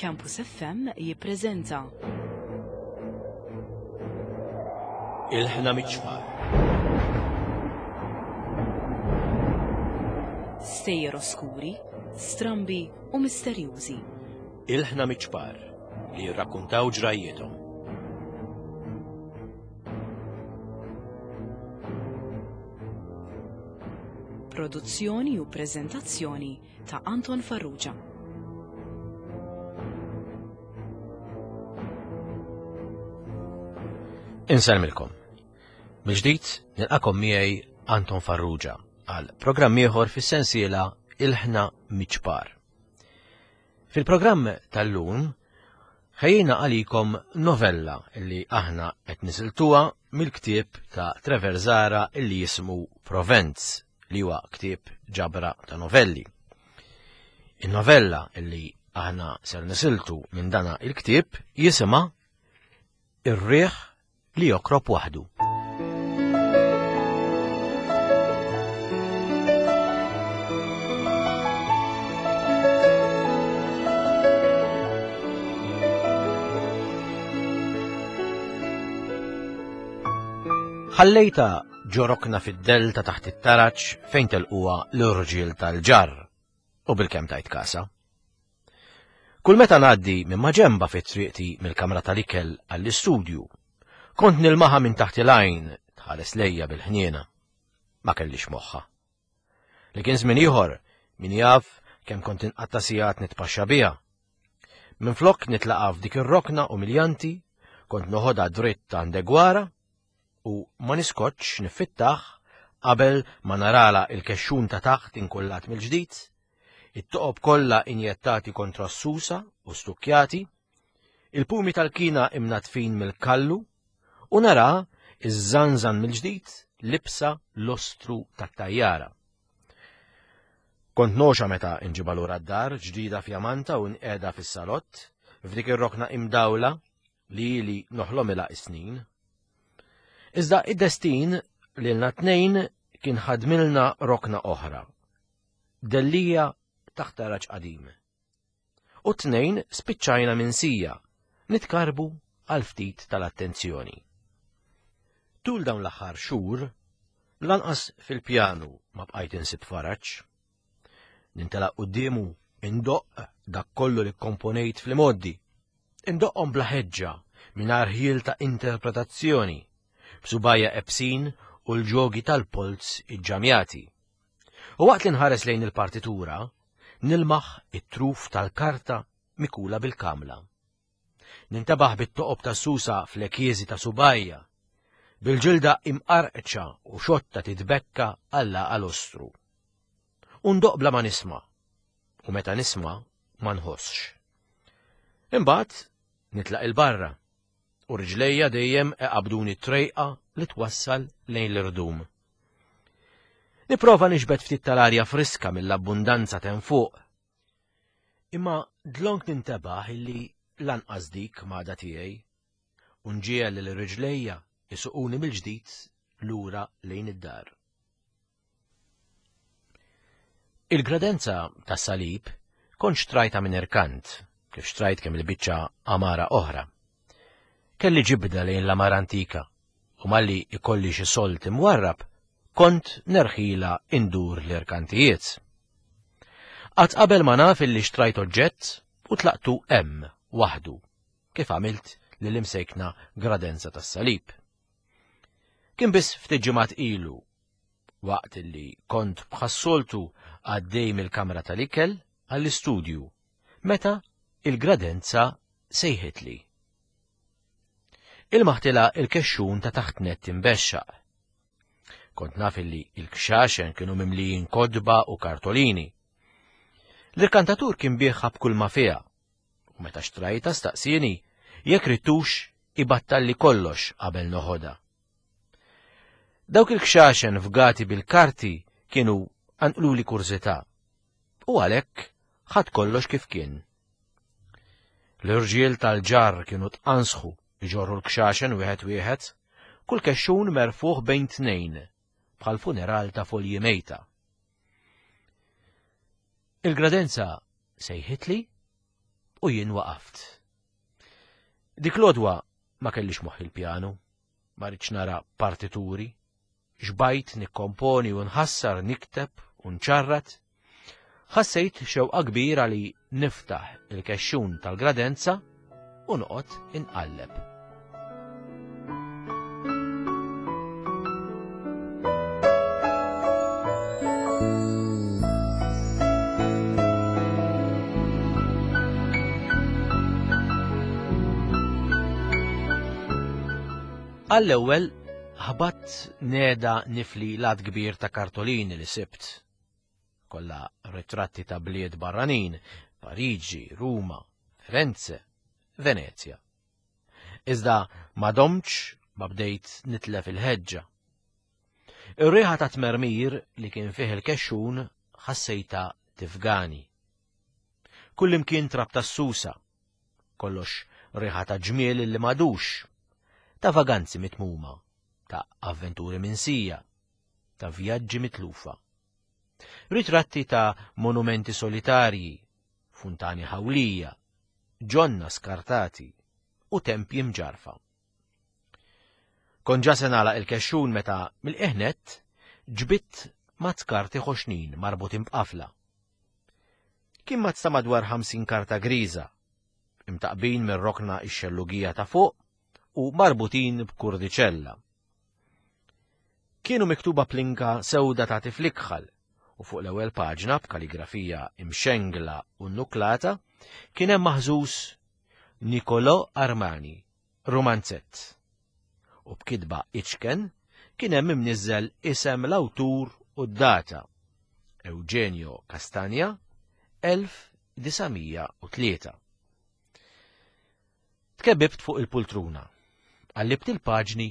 Campus FM jippreżenta. Il-ħna miċ-ċfar. Stejjer oskuri, strambi u misterjużi. Il-ħna miċ-ċpar li jirrakkuntaw ġrajjiethom. Produzzjoni u preżentazzjoni ta' Anton Farrugia. Insellmilkom. Mill-ġdid nilqakom miegħi Anton Farrugia għal programm ieħor fis-sensiela Il-ħna miċ-ċpar. Fil-programm tal-lum ħejjina għalikom novella li aħna qed nisiltuha mill-ktieb ta' Trevor Zara illi jismu Provenz li huwa ktieb ġabra ta' novelli. In-novella illi aħna ser nisiltu minn dana il-ktieb jisimha Ir-riħ li jokrob waħdu. Ħallejta ġo rokna fid-dell ta' taħt it-taraġ fejn telquha l-irġiel tal-ġarr u bilkemm tajt kasa. Kull meta ngħaddi minn maġenba fi triqti mill-kamra tal-ikel għall-istudju, kont nilmaħa minn taħt il-għajn tħares lejja bil-ħniena. Ma kellix moħħa. Li kien żmien ieħor, min jaf kemm kont inqatta' sigħat nitpaxxa biha. Minflok nitlaqa' f'dik ir-rokna umiljanti, kont noħodha dritt għand Egwara u ma niskotx niffittah qabel ma narala il-kexxun ta' taħt inkullat mill-ġdid, it-toqob kollha injettati kontra s-susa u stukkjati, il-pumi tal-kina imnatfin mill-kallu u nara iż-żanżan mill-ġdid libsa l-ostru tat-tajjara. Kont noxa meta nġibha lura d-dar ġdida fjamanta u nqiegħda fis-salott, f'dik ir-rokna imdawla li ili noħlomilha is-snin. Iżda id-destin lilna tnejn kien ħadmilna rokna oħra. Dellija taħt taraġ qadim. U tnejn spiċċajna minsija, nitkarbu għal ftit tal-attenzjoni. Tul dawn l-aħħar xhur, lanqas fil-pjanu ma bqajt insib faraġ. Nintelaq quddiemu indoqq dak kollu li kkomponejt fl-imgħoddi. Indoqqhom bla ħeġġa, mingħajr ħjiel ta' interpretazzjoni, b'subgħajja ebsin u l-ġogi tal-polz iġġamjati. U waqt li nħares lejn il-partitura, nilmaħ it-truf tal-karta mikula bil-kamla. Nintebaħ bit-toqob tas-susa fl-ekieżi ta' subgħajja, bil-ġilda imqarqċa u xotta titbekka għall-għaqa lostru. U ndoqq bla ma nisma', u meta nisma' ma nħossx. Imbagħad nitlaq 'il barra, u riġlejja dejjem iqabbduni t-trejqa li twassal lejn l-irdum. Nipprova niġbed ftit tal-arja friska mill-abbundanza t'hemm fuq, Imma dlonk nintebaħ illi lanqas dik m'għadha tiegħi u nġiegħel lil riġlejja jsuquni mill-ġdid lura lejn id-dar. Il-gradenza tas-salib kont xtrajtha minn irkant, kif xtrajt kemm il-biċċa għamara oħra. Kelli ġibda lejn l-għamara antika u malli ikolli xi sold imwarrab kont nerħilha indur l-irkantijiet. Qatt qabel ma naf illi xtrajt oġġett u tlaqtu hemm waħdu, kif għamilt lill-imsejkna Gradenza tas-Salib. Kien biss ftit ġimgħat ilu, waqt illi kont bħas-soltu għaddej mill-kamra tal-ikel għall-istudju, meta il-Gradenza sejħitli. Ilmaħtilha il-kexxun ta' taħt nett imbexxaq. Kont naf illi il-kxaxen kienu mimlijin kotba u kartolini. L-irkantatur kien biegħha b'kull ma fiha, u meta xtrajtha staqsieni jekk ridtux ibattalli kollox qabel noħodha. Dawk il-kxaxen fgati bil-karti kienu qanqluli kurżità, u għalhekk ħadt kollox kif kien. L-irġiel tal-ġarr kienu tqansħu jġorru l-kxaxen wieħed wieħed, kull kexxun merfugħ bejn tnejn, bħal funeral ta' folji mejta. Il-gradenza sejħitli. U jien waqaft. Dik l-odwa ma kellix moħħ il-pjanu, ma rridx nara partituri, xbajt nikkomponi u nħassar nikteb u nċarrat. Ħassejt xewqa kbira li niftaħ il-kexxun tal-gradenza u noqgħod inqalleb. Għall-ewwel ħabat neda nifli lat kbir ta' kartolini li sibt. Kollha ritratti ta' bliet barranin, Pariġi, Ruma, Firenze, Venezja. Iżda ma domtx ma bdejt nitlef il-ħeġġa. Ir-riħa ta' tmermir li kien fih il-kexxun ħassejta tifgani. Kullimkien trab tas-susa, kollox riħa ta' ġmiel li madux, ta' vaganzi mitmuma, ta' avventuri minsija, ta' vjaġġi mitlufa. Ritratti ta' monumenti solitarji, funtani ħawlija, ġonna skartati u tempji mġarfa. Kont ġa se nagħlaq il-kexxun meta mill-qiegħ ġbidt mazz karti ħoxnin marbutin b'qafla. Kien mazz ta' madwar 50 karta griża, imtaqbin mir-rokna ix-xellugija ta' fuq u marbutin b'kurdiċella. Kienu miktuba plinka sewda ta' tiflikħal u fuq l-ewwel paġna b'kaligrafija imxengla u nnuklata kien hemm maħżuż Nicolò Armani, rumanzett. U b'kitba iċken kien hemm imniżżel isem l-awtur u d-data. Eugenio Castagna, 1903. Tkebibt fuq il-pultruna, qallibt il-paġni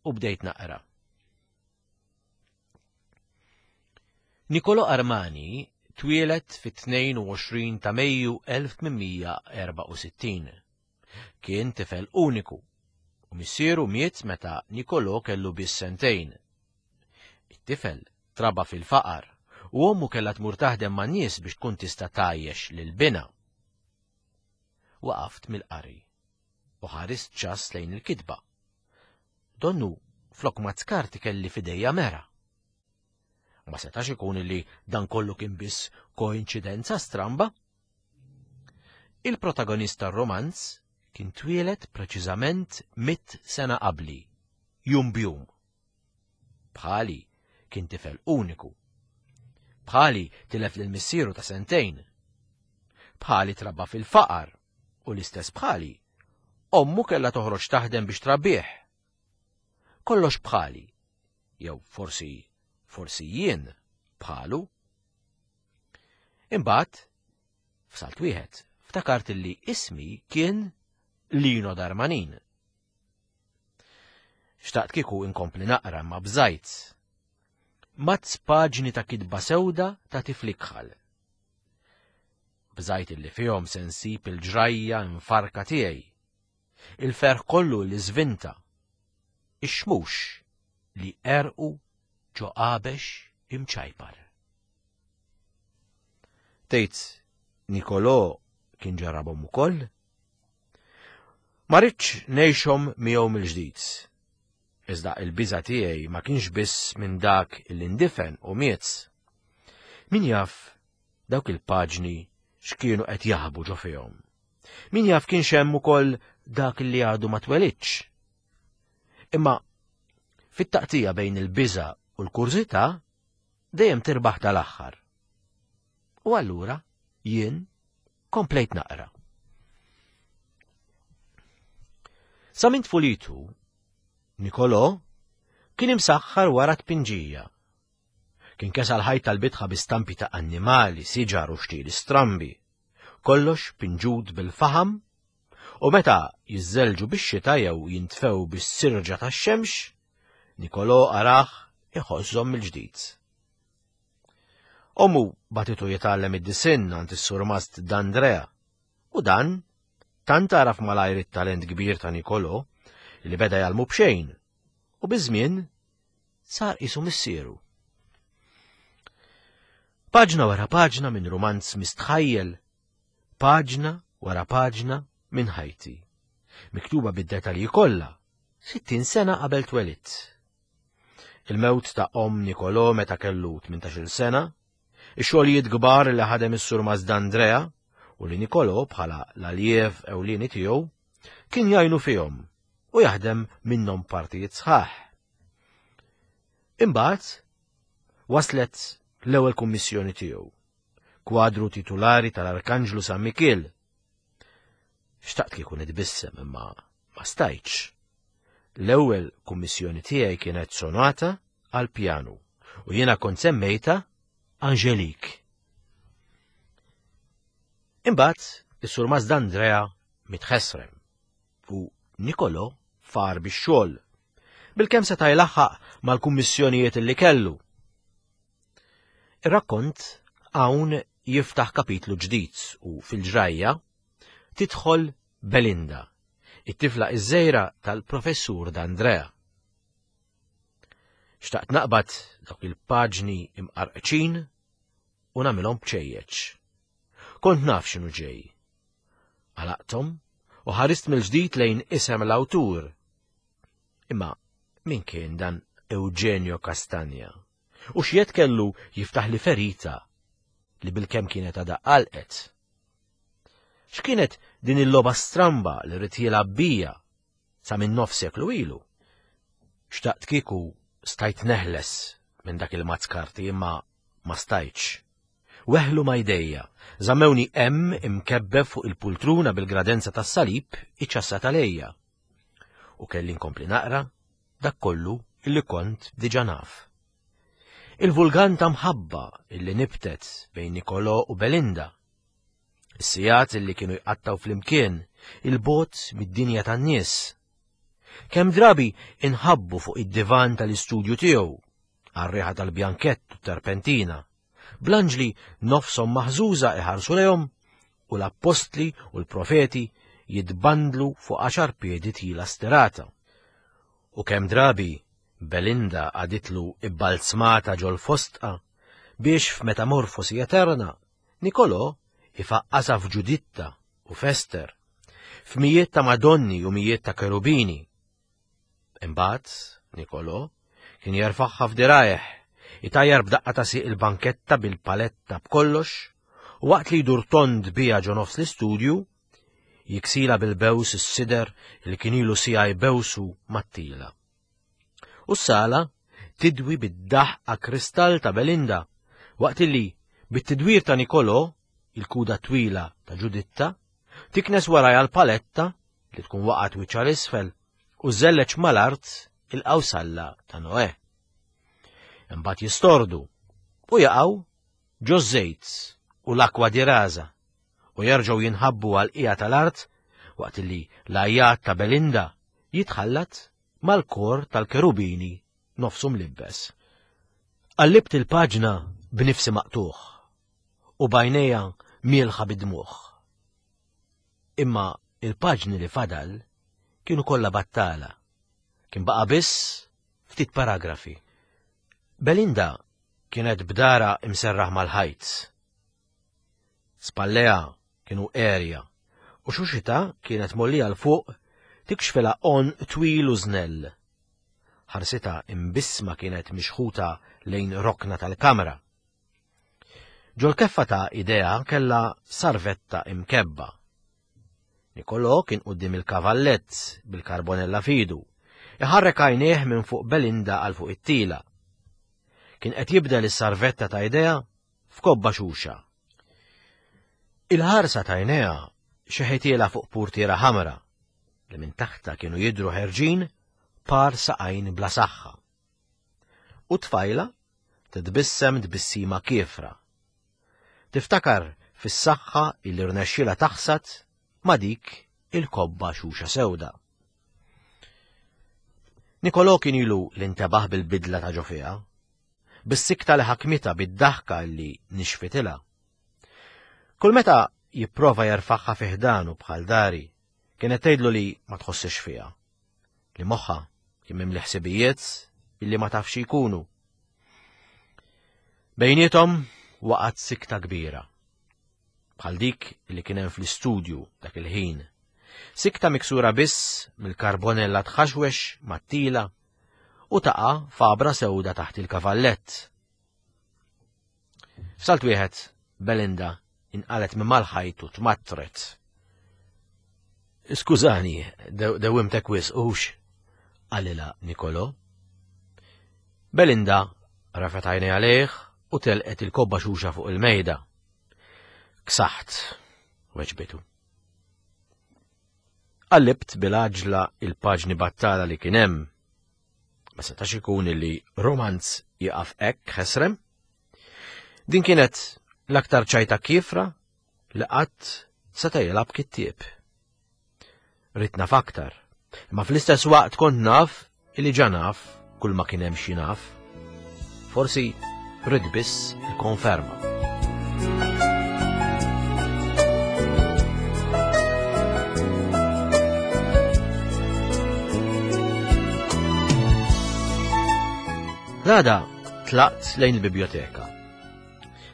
u bdejt naqra. Nicolo Armani twieled fit-22 ta' Mejju 1864. Kien tifel uniku u missieru miet meta Nicolo kellu biss sentejn. It-tifel traba fil-faqar u ommu kellha tmur taħdem man-nies biex tkun tista' tgħajjex lil binha. Waqaft mill-qari u ħarist ċass lejn il-kitba. Donnu flok ma tkarti kelli f'idejja mera. Ma setax ikun li dan kollu kien biss koinċidenza stramba. Il-protagonist tar-romanz kien twieled preċiżament mit sena qabli, jum bjum. Bħali kien tifel uniku. Bħali tilef lil missieru ta' sentejn. Bħali trabba fil-faqar u l-istess bħali. Ommu kellha toħroġ taħdem biex trabbih. Kollox bħali, jew forsi forsi jien bħalu. Imbagħad, f'salt wieħed, ftakart li ismi kien Lino Darmanin. Xtaqt kieku inkompli naqra ma bżajt. Mazz paġni ta' kitba sewda ta' tiflikħal. Bżajt illi fihom se nsib il-ġrajja mfarka tiegħi. Il-ferħ kollu li żvinta. Ix-xmux li erqu ġo qabex imċajpar. Tgħid Nicolò kien ġarrabhom ukoll? Ma ridtx ngħixhom miegħu mill-ġdid. Iżda il-biża' tiegħi ma kienx biss minn dak li ndifen u miet. Min jaf dawk il-paġni x'kienu qed jaħbu ġo fihom. Min jaf kienx hemm ukoll dak li għadu ma twelidx. Imma fit-taqtija bejn il-biża' u l-kurżità dejjem tirbaħ tal-aħħar. U allura jien komplejt naqra. Sa minn tfulitu, Nicolò kien imsaħħar wara tpinġija. Kien kesa l-ħajt tal-bitħa bi stampi ta' annimali, siġar u xtieli strambi. Kollox pinġut bil-faħam u meta jiżżelġu bix-xita jew jintfew bis-sirġa tax-xemx, Nicolò arah iħożżhom mill-ġdid. Ommu batitu jitgħallem id-disinn għand is-surmast D'Andrea u dan tant għaraf malajr it-talent kbir ta' Nicolò li beda jgħallmu b'xejn u biż-żmien sar qisu missieru. Paġna wara paġna minn rumanz mistħajjel, paġna wara paġna minn ħajti, miktuba bid-detalji kollha, 60 sena qabel twelidt. Il-mewt ta' omm Nicolò meta kellu 18-il sena, ix-xogħlijiet kbar li ħadem is-Sur Mazdandrea u li Nicolò bħala l-aljev ewlieni tiegħu kien jgħinu fihom u jaħdem minnhom partijiet sħaħ. Imbagħad waslet l-ewwel kummissjoni tiegħu, kwadru titulari tal-Arkanġlu San Mikiel. Xtaqt kieku nitbissem imma ma stajtx. L-ewwel kummissjoni tiegħi kienet sonata għal pjanu u jiena kont semmejta Angelique. Imbagħad is-Sur Mazdandrea mitħesrem u Nicolo far bix-xogħol. Bilkemm seta' jlaħħaq mal-kummissjonijiet li kellu. Ir-rakkont hawn jiftaħ kapitlu ġdid u fil-ġrajja tidħol Belinda, it-tifla iż-żejra tal-professur D'Andrea. Xtaqt naqbad dawk il-paġni imqarqċin u nagħmilhom bċejjeċ. Kont naf x'inhu ġej. Għalaqthom u ħarist mill-ġdid lejn isem l-awtur. Imma min kien dan Eugenio Castagna? U x'jed kellu jiftaħ li ferita li bilkemm kienet għadha għalqet? X'kienet din il-logħba stramba li rrid jilgħab bija sa minn nofs seklu ilu? Xtaqt kieku stajt neħles minn dak il-mazz karti imma ma stajtx. Weħlu ma jdejja, żammewni hemm imkebbeb fuq il-pultruna bil-gradenza tas-salib iċċassat għalejja. U kelli nkompli naqra dak kollu illi kont diġa naf. Il-vulgan ta' mħabba illi nibtet bejn Nicolò u Belinda. Is-sigħat illi kienu jqattaw flimkien, il-bot mid-dinja tan-nies. Kemm drabi inħabbu fuq id-divan tal-istudju tiegħu, għar-riħa tal-bjankett u terpentina, bl-anġli nofshom maħżuża iħarsu lejhom u l-appostli u l-profeti jitbandlu fuq għaxar piedi tila stirata. U kemm drabi Belinda għaditlu ibbalzmata ġol fostqa biex f'metamorfosi eterna Nicolò ifaqqasha f'Ġuditta u f'Ester, f'mijiet ta' Madonni u mijiet ta' kerubini. Imbagħad Nicolò kien jerfagħha f'dirajh, itajjar b'daqqa ta' sieq il-banketta bil-paletta b'kollox, u waqt li jdur tond biha ġo nofs l-istudju, jiksila bil-bews is-sider li kien ilu siegħa jbewsu mat-tila. U s-sala tidwi bid-daħqa kristall ta' Belinda, waqt li bit-tidwir ta' Nicolò, il-kuda twila ta' Ġuditta, tiknes warajha l-paletta li tkun waqgħet wiċċha l-isfel u żelleġ mal-art il-qawsalla ta' Noè. Imbagħad jistordu u jaqgħu ġo żejt u l-akwa di raża u jerġgħu jinħabbu għal qiegħa tal-art waqt li l-għajjat ta' Belinda jitħallat mal-kor tal-kerubini nofsu mlibbes. Qallibt il-paġna b'nifsi maqtugħ u b'għajnejja mielħa bid-dmugħ. Imma il-paġni li fadal kienu kollha battala. Kien baqa' biss ftit paragrafi. Belinda kienet b'dara imserraħ mal-ħajt. Spalleha kienu għerja u xuxitha kienet mgħollija 'l fuq tikxfilha għonq twil u żnell. Ħarsitha imbissma kienet mixħuta lejn rokna tal-kamra. Ġol-keffa ta' idejha kellha sarvetta imkebba. Nicolò kien quddiem il-kavallett bil-karbonella f'idu, iħarrek għajnejh minn fuq Belinda għal fuq it-tila. Kien qed jibdel is-sarvetta ta' idejha f'kobba xuxa. Il-ħarsa ta' għajnejha xeħitielha fuq purtiera ħamra li minn taħtha kienu jidhru ħerġin par saqajn bla saħħa. U t-tfajla titbissem tbissima kiefra. Tiftakar fis-saħħa illi rnexxielha taħsad ma' dik il-kobba xuxa sewda. Nicolò kien ilu li ntebaħ bil-bidla ta' ġo fiha, bis-sikta li ħakmitha bid-daħka li nixfitilha. Kull meta jipprova jerfagħha fi ħdanu bħal dari, kienet tgħidlu li ma tħossix fiha, li moħħha kien mimli ħsibijiet illi ma tafx jkunu. Bejniethom waqgħet sikta kbira. bħal dik li kien hemm fl-istudju dak il-ħin. Sikta miksura biss mill-karbonella tħaxwex mat-tila u taqa' fabra sewda taħt il-kavallett. F'salt wieħed, Belinda inqalet minn mal-ħajt u tmattret. Skużani, dewwimtek wisq hux, qalilha Nikolo. Belinda rafet għajnej għalih u telqet il-kobba xuxa fuq il-mejda. Ksaħt, weġbitu. Qallibt bil-għaġla il-paġni battala li kien hemm. Ma setax ikun li romanz jieqaf hekk ħesrem. Din kienet l-aktar ċajta kiefra li qatt seta' jilgħab kittieb. Ridt naf aktar, imma fl-istess waqt kont naf illi ġa naf kull ma kien hemm xi naf. Forsi rrid biss il-konferma. L-għada tlaqt lejn il-biblioteka.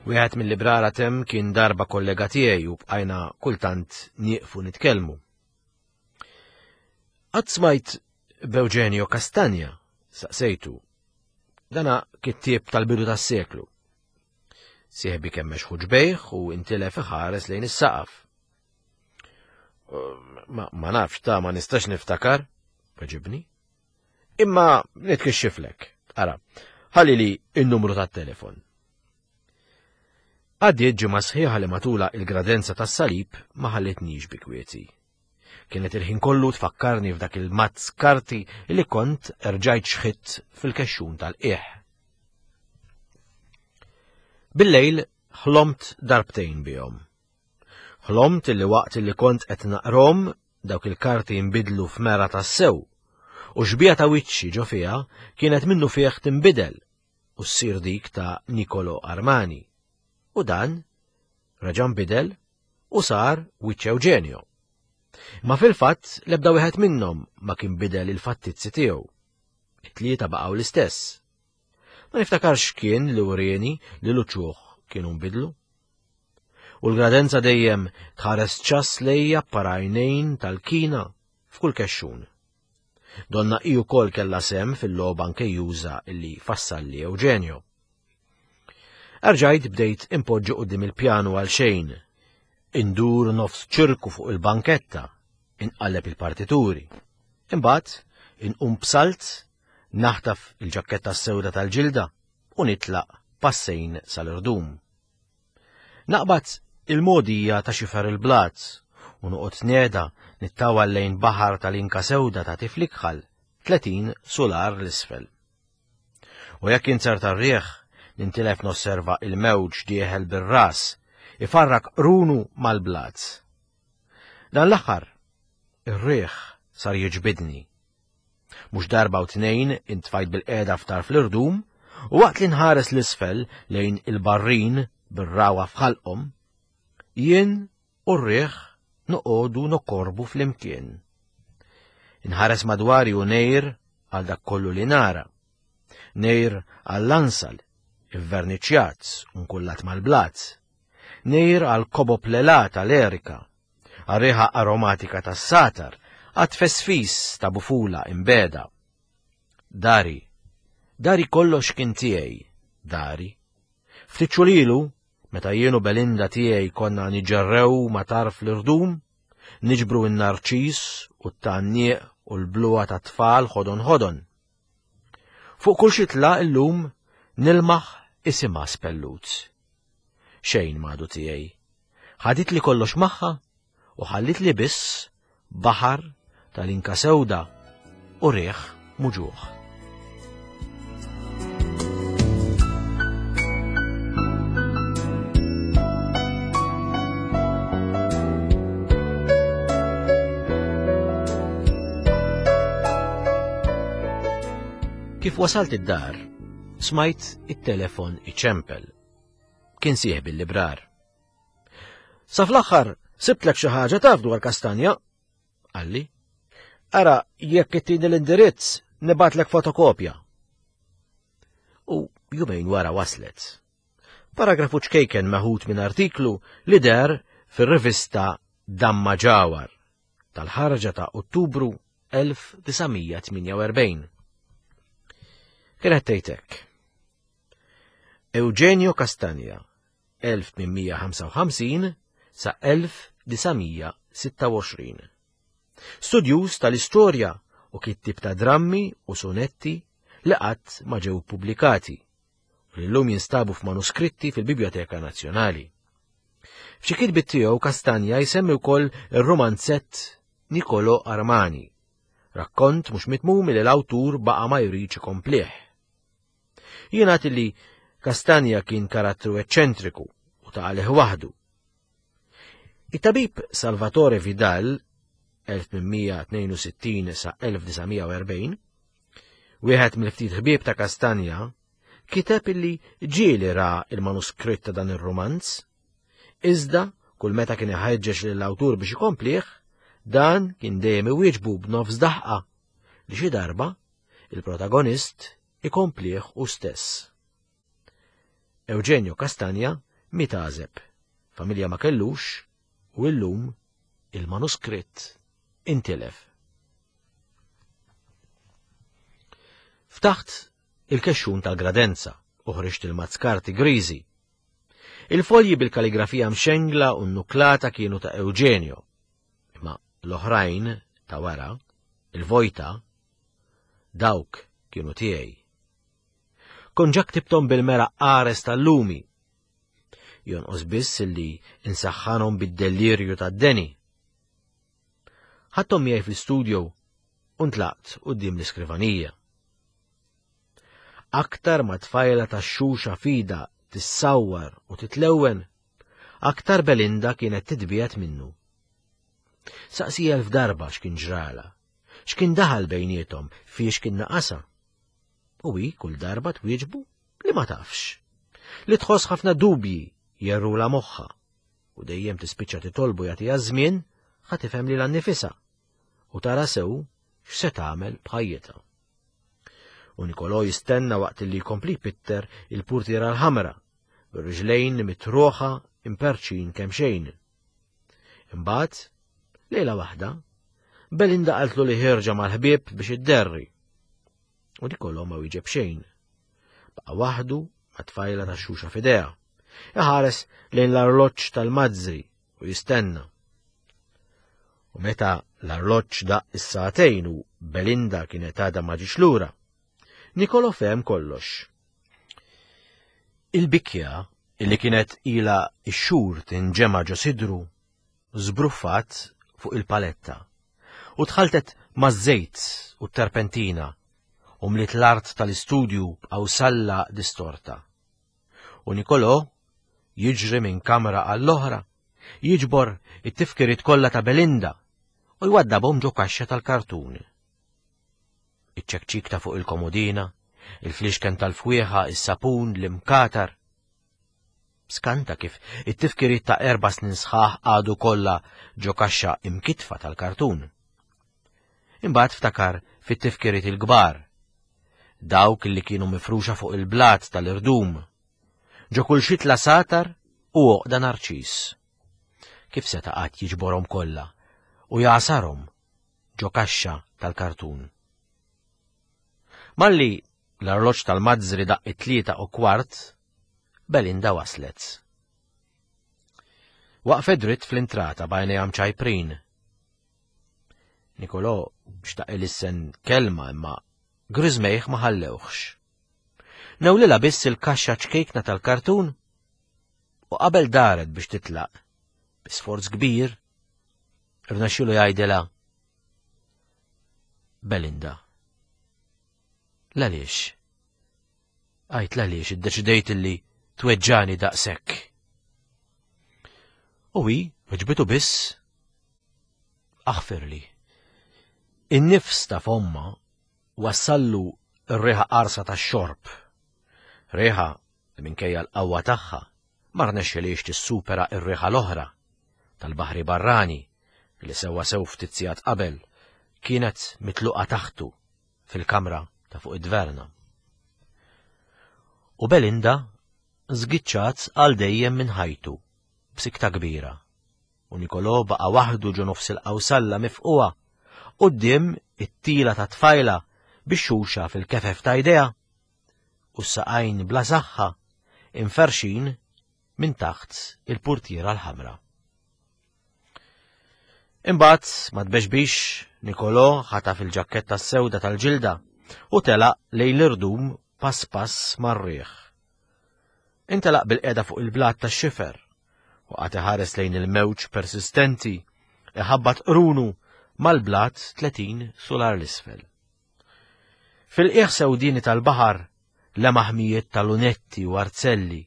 Wieħed mill-librara tem kien darba kollega tiegħi u bqajna kultant nieqfu nitkellmu. Qatt smajt b'Eugenio Castagna? Saqsejtu. Dana kittieb tal-bidu tas-seklu. Sieħbi kemmex ħuġbejh u intilef iħares lejn is-saqaf. Ma, ma nafx ta' ma nistax niftakar, weġibni. Imma nitkixxiflek. Ara, ħalli li n-numru tat-telefon. Għaddiet ġimgħa sħiħa li matula il-gradenza tas-salib ma ħallitnix bi kwieti. Kienet il-ħin kollu tfakkarni f'dak il-mazz karti li kont erġajt xħitt fil-kexxun tal-qiegħ. Bil-lejl ħlomt darbtejn bihom. Ħlomt li waqt li kont qed naqrom dawk il-karti jinbidlu f'mera tassew u xbija ta' wiċċi ġo fiha kienet minnu fih tinbidel u ssir dik ta' Nicolo Armani. U dan reġa' nbidel u sar wiċċ Eugenio. Ma fil-fatt l-ebda wieħed minnhom ma kien bidel il-fattizzi tiegħu. It-tlieta baqgħu l-istess. Ma niftakarx kien li wrieni li l-uċuħ kienu nbidlu. U l-gradenza dejjem tħares ċass lejja parajnejn tal-kina f'kull kexxun. Donna hi wkoll kellha sehem fil-logħba nkejjuża li fassalli Eugenio. Erġajt bdejt impoġġi quddiem il-pjanu għal xejn. Indur nofs ċirku fuq il-banketta, inqalleb il-partituri. Imbagħad inqum b'salt, naħtaf il-ġakketta s-sewda tal-ġilda u nitlaq passejn sal-irdum. Naqbad il-mogħdija ta' xifer il-blat u noqgħod neda nittawal lejn baħar tal-inka sewda ta' tiflikħal 30 sular l-isfel. U jekk inzerta r-riħ, nintilef nosserva il-mewġ dieħel bir-ras, ifarrak qrunu mal-blat. Dan l-aħħar, ir-riħ sar jiġbidni. Mhux darba u tnejn intfajt bil-qiegħda f'tarf l-irdum u waqt li nħares l-isfel lejn il-barrin bir-rawa f'ħalqhom, jien u r-riħ noqogħdu nokorbu flimkien. Inħares madwari u nejr għal dak kollu li nara. Nejr għall-ansal, ivverniċjat u nkullat mal-blat. Nejr għal kobob lelat għal Erika, għar-riħa aromatika tas-satar, għat-tfesfis ta' bufula imbeda. Dari, dari kollox kien tiegħi, dari. Ftit ilu, meta jien u Belinda tiegħi konna niġġerrew ma' tarf l-irdum, niġbru n-narċis u t-tgħanniq u l-bluha tat-tfal ħodon ħodon. Fuq kull xitla illum nilmaħ isimha spellut. Xejn m'għadu tiegħi. Ħaditli kollox magħha u ħallitli biss baħar tal-inka sewda u riħ muġuħ. Kif wasalt id-dar, smajt it-telefon iċempel. Kien sieħbi l-librar. Sa fl-aħħar sibtlek xi ħaġa taf dwar kastanja, qalli. Ara, jekk ittini l-indirizz, nibatlek fotokopja. U jumejn wara waslet. Paragrafu ċkejken meħud minn artiklu li der fir-rivista Damma Ġawar tal-ħarġa ta' Ottubru 1948. Kienet tgħid hekk. Eugenio Castagna, 1855 sa 1926. Studjuż tal-istorja u kittib ta' drammi u sonetti li qatt ma ġew pubblikati u li llum jinstabu f'manuskritti fil-Bibljoteka Nazzjonali. F'xi kitbiet tiegħu Castagna jsemmi wkoll ir-rumanzett Niccolò Armani, rakkont mhux mitmum li l-awtur baqa' ma jridx ikomplih. Jingħad li Castagna kien karattru eċċentriku u ta' għalih waħdu. It-tabib Salvatore Vidal 1862 sa 1940, wieħed mill-ftit ħbieb ta' Castagna, kiteb illi ġieli ra il-manuskritt ta' dan ir-rumanz, iżda kull meta kien iħeġġeġ lill-awtur biex ikomplih, dan kien dejjem iwieġbu b'nofs daħqa li xi darba il-protagonist ikomplih hu stess. Eugenio Castagna miet għażeb, familja ma kellux u illum il-manuskritt intilef. Ftaħt il-kexxun tal-gradenza u ħriġt il-mazzkarti griżi. Il-folji bil-kaligrafija mxengla u nnuklata kienu ta' Eugenio, imma l-oħrajn ta' wara, il-vojta, dawk kienu tiegħi. Kont ġa ktibthom bil-mera qares tal-lumi. Jonqos biss illi insaħħanhom bid-delirju tad-deni. Ħadthom miegħi fl-istudio u ntlaqt quddiem l-iskrivanija. Aktar ma tfajla ta' xuxa fida tissawwar u titlewwen, aktar Belinda kienet titbiegħed minnu. Saqsi elf darba x'kien ġrala, x'kien daħal bejniethom, fiex kien naqasa. U hi kull darba twieġbu li ma tafx. Li tħoss ħafna dubji jerrula moħħa u dejjem tispiċċa titolbu jagħtiha żmien ħa tifhem lilha nnifisha u tara sew x'se tagħmel b'ħajjitha. U Nikolò jistenna waqt li jkompli jpitter il-purtiera l-ħamra, bir-riġlejn mitruħa imperċin kemm xejn. Imbagħad, lejla waħda, Belinda qaltlu li ħierġa mal-ħbieb biex idderri. U Nikolò ma wieġeb xejn. Baqa' waħdu ma' tfajla ta' xuxa f'idejha. Iħares lejn l-arloġġ tal-mazzri u jistenna. U meta l-arloġġ daq is-sagħtejn u Belinda kienet għadha ma ġiex lura, Nikolo fehem kollox. Il-bikja illi kienet ila x-xhur tinġema' ġo sidru żbruffat fuq il-paletta u tħaltet maż-żejt u t-terpentina u mliet l-art tal-istudju b'qawsalla distorta. U Nicolò jiġri minn kamra għall-oħra, jiġbor it-tifkiriet kollha ta' Belinda u jwaddabhom ġo kaxxa tal-kartun. Iċ-ċekċik ta' fuq il-komodina, il-flixken tal-fwieħa, is-sapun, l-imkatar. Skanta kif it-tifkiriet ta' erba' snin sħaħ għadu kollha ġo kaxxa imkitfa tal-kartun. Imbagħad ftakar fit-tifkiriet il-kbar, dawk li kienu mifruxa fuq il-blat tal-irdum, ġo kull xitla satar u għoqda narċis. Kif seta' qatt jiġborhom kollha u jagħsarhom ġo kaxxa tal-kartun. Malli l-arloġġ tal-mazzri daqq it-3:15, Belinda waslet. Waqfet dritt fl-intrata b'għajnejha mċajprin. Nikolò xtaq ilissen kelma imma griżmejh ma ħallewhx. Newlilha biss il-kaxxa ċkejkna tal-kartun u qabel daret biex titlaq, bi sforz kbir, rnexxielu jgħidilha Belinda. L-għaliex? Għajt l-għaliex iddeċidejt li tweġġani daqshekk. U hi weġbitu biss aħfirli. In-nifs ta' fomma wassallu r-riħa qarsa tax-xorb. Riħa li minkejja l-qawwa tagħha ma rnexxilhiex tissupera r-riħa l-oħra tal-baħri barrani li sewwa sew ftit sigħat qabel kienet mitluqa taħtu fil-kamra ta' fuq id-dverna. U Belinda żgiċċat għal dejjem minn ħajtu b'sikta kbira. u Nikolò baqa' waħdu ġo nofs il-qawsalla mifqugħa, quddiem it-tila ta' tfajla bix-xuxa fil-kefef ta' jdejha, u s-saqajn bla saħħa imferrxin minn taħt il-purtiera l-ħamra. Imbagħad ma tbexbix Nikolò ħataf il-ġakketta s-sewda tal-ġilda u telaq lejn l-irdum pass pass mar-riħ. Intelaq bil-qeda fuq il-blat tax-xifer u qagħad iħares lejn il-mewġ persistenti iħabbat qrunu mal-blat 30 sular l-isfel. Fil-qiegħ sewdieni tal-baħar lemaħ mijiet ta' lunetti u arzelli,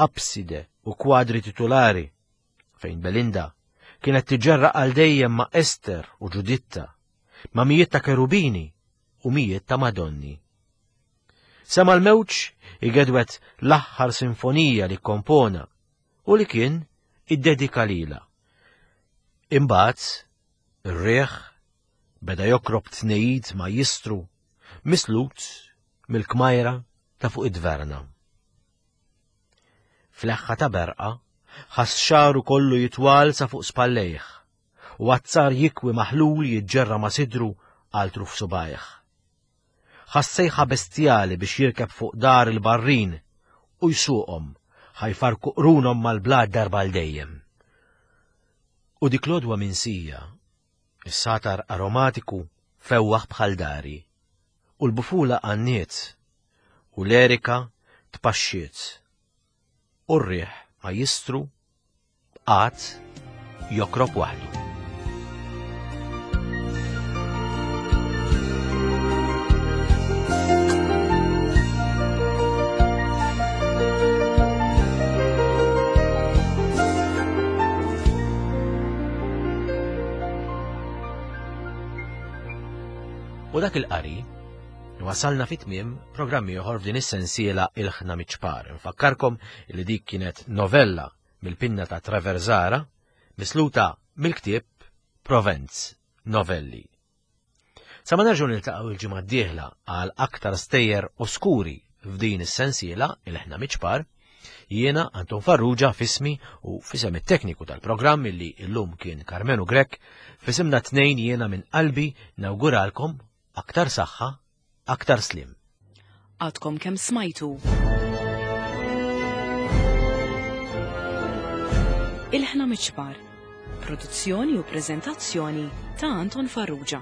abside u kwadri titulari, fejn Belinda kienet tiġġerraq għal dejjem ma' Ester u Ġuditta, ma' mijiet ta' kerubini u mijiet ta' Madonni. Sema l-mewġ igedwet l-aħħar sinfonija li kompona u li kien iddedika lilha. Imbagħad ir-riħ beda jokrob tnejid ma jistru mislut mill-kmajra ta' fuq id-dverna. Fleħħa ta' berqa ħass xaru kollu jitwal sa fuq spallejh u azzar jikwi maħlul jiġġerra ma' sidru għal truf subajh. Ħass sejħa bestjali biex jirkeb fuq dar il-barrin u jsuqhom ħa jfarrku qrunhom mal-blat darba għal dejjem. U dik l-għodwa minsija, is-satar aromatiku fewwaħ bħal dari, u l-bufula għanniet, u l-erika tpaxxiet, u r-riħ ma jistru bqagħad jokrob waħdu. U dak il-qari wasalna fit tmiem programm ieħor f'din is-sensiela Il-Ħna Miċ-Ċpar. Nfakkarkom li dik kienet novella mill-pinna ta' Trevor Zahra, misluta mill-ktieb Provenz, Novelli. Sa ma nerġgħu niltaqgħu il-ġimgħa d-dieħla għal aktar stejjer oskuri f'din is-sensiela il-ħna miċpar, jiena Anton Farrugia fismi u fisem it-tekniku tal-programm illi illum kien Karmenu Grech, fisimna tnejn jiena minn qalbi nawguralkom aktar saħħa aktar sliem. Għadkom kemm smajtu. Ilħna Miċpar. Produzzjoni u preżentazzjoni ta' Anton Farrugia.